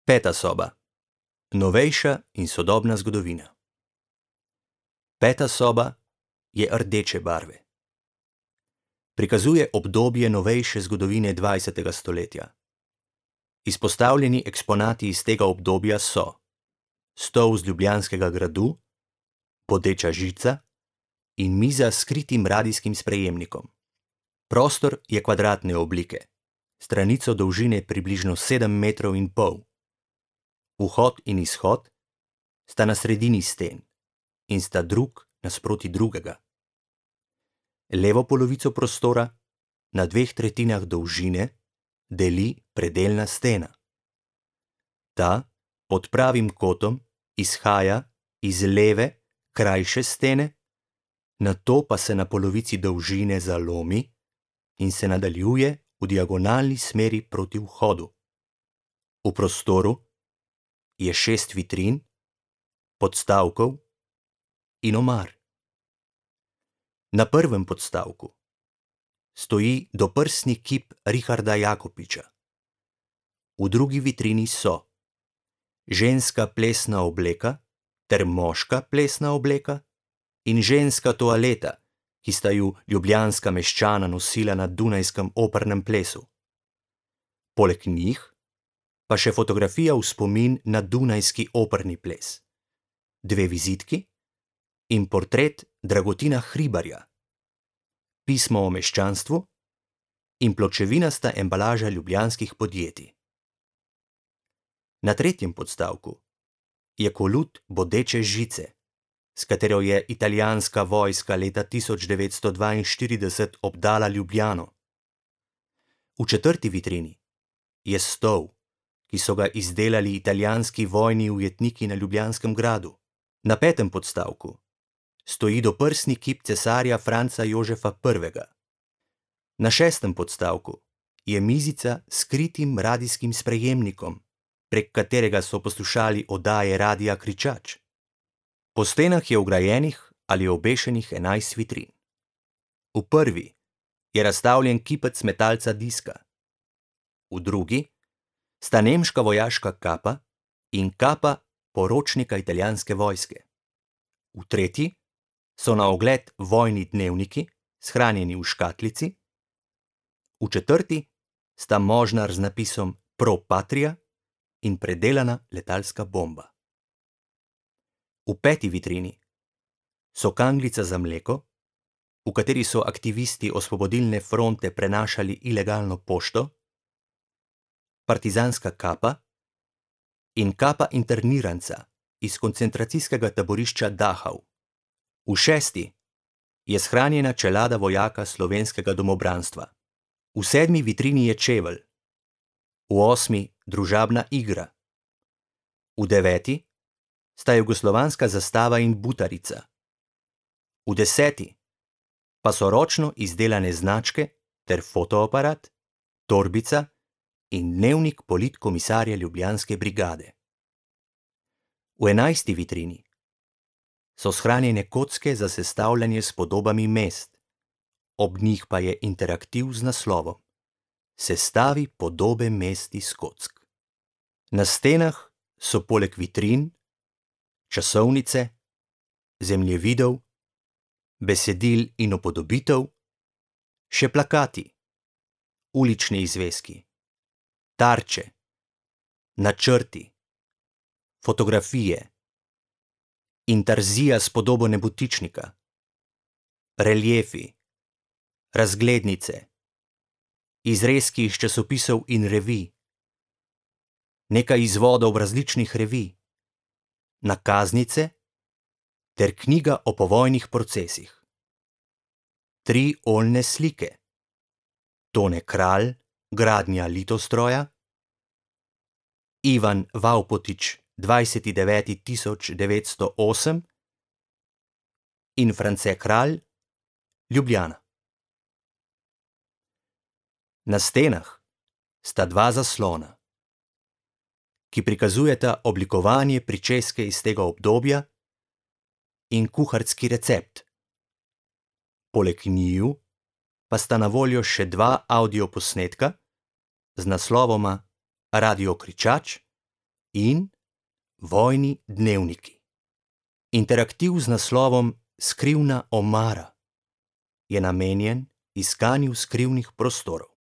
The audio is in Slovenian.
Peta soba. Novejša in sodobna zgodovina. Peta soba je rdeče barve. Prikazuje obdobje novejše zgodovine 20. stoletja. Izpostavljeni eksponati iz tega obdobja so stol z Ljubljanskega gradu, bodeča žica in miza s skritim radijskim sprejemnikom. Prostor je kvadratne oblike, stranico dolžine približno 7,5 metrov. Vhod in izhod sta na sredini sten in sta drug nasproti drugega. Levo polovico prostora na 2/3 dolžine deli predelna stena. Ta pod pravim kotom izhaja iz leve, krajše stene, nato pa se na polovici dolžine zalomi in se nadaljuje v diagonalni smeri proti vhodu. V prostoru je 6 vitrin, podstavkov in omar. Na prvem podstavku stoji doprsni kip Richarda Jakopiča. V drugi vitrini so ženska plesna obleka ter moška plesna obleka in ženska toaleta, ki sta ju ljubljanska meščana nosila na dunajskem opernem plesu. Poleg njih pa še fotografija v spomin na dunajski operni ples, 2 vizitki in portret Dragutina Hribarja, pismo o meščanstvu in pločevinasta embalaža ljubljanskih podjetij. Na tretjem podstavku je kolut bodeče žice, s katero je italijanska vojska leta 1942 obdala Ljubljano. V četrti vitrini je stol, ki so ga izdelali italijanski vojni ujetniki na Ljubljanskem gradu. Na petem podstavku stoji doprsni kip cesarja Franca Jožefa I. Na šestem podstavku je mizica s skritim radijskim sprejemnikom, prek katerega so poslušali oddaje Radia Kričač. Po stenah je vgrajenih ali obešenih 11 vitrin. V prvi je razstavljen kipec metalca diska. V drugi sta nemška vojaška kapa in kapa poročnika italijanske vojske. V tretji so na ogled vojni dnevniki, shranjeni v škatlici. V četrti sta možnar z napisom Pro Patria in predelana letalska bomba. V peti vitrini so kanglica za mleko, v kateri so aktivisti Osvobodilne fronte prenašali ilegalno pošto, partizanska kapa in kapa interniranca iz koncentracijskega taborišča Dachau. V šesti je shranjena čelada vojaka slovenskega domobranstva. V sedmi vitrini je čevelj, v osmi družabna igra, v deveti sta jugoslovanska zastava in butarica, v deseti pa so ročno izdelane značke ter fotoaparat, torbica in dnevnik politkomisarja Ljubljanske brigade. V enajsti vitrini so shranjene kocke za sestavljanje s podobami mest, ob njih pa je interaktiv z naslovom Sestavi podobe mest iz kock. Na stenah so poleg vitrin časovnice, zemljevidov, besedil in upodobitev še plakati, ulični izveski, tarče, načrti, fotografije, intarzija s podobo nebotičnika, reliefi, razglednice, izrezki iz časopisov in revij, nekaj izvodov različnih revij, nakaznice ter knjiga o povojnih procesih. 3 oljne slike, Tone Kralj, gradnja Litostroja, Ivan Vaupotič, 20.9.1908 in France Kralj, Ljubljana. Na stenah sta 2 zaslona, ki prikazujeta oblikovanje pričeske iz tega obdobja in kuharski recept. Poleg njiju pa sta na voljo še 2 avdioposnetka z naslovoma Radio Kričač in Vojni dnevniki. Interaktiv z naslovom Skrivna omara je namenjen iskanju skrivnih prostorov.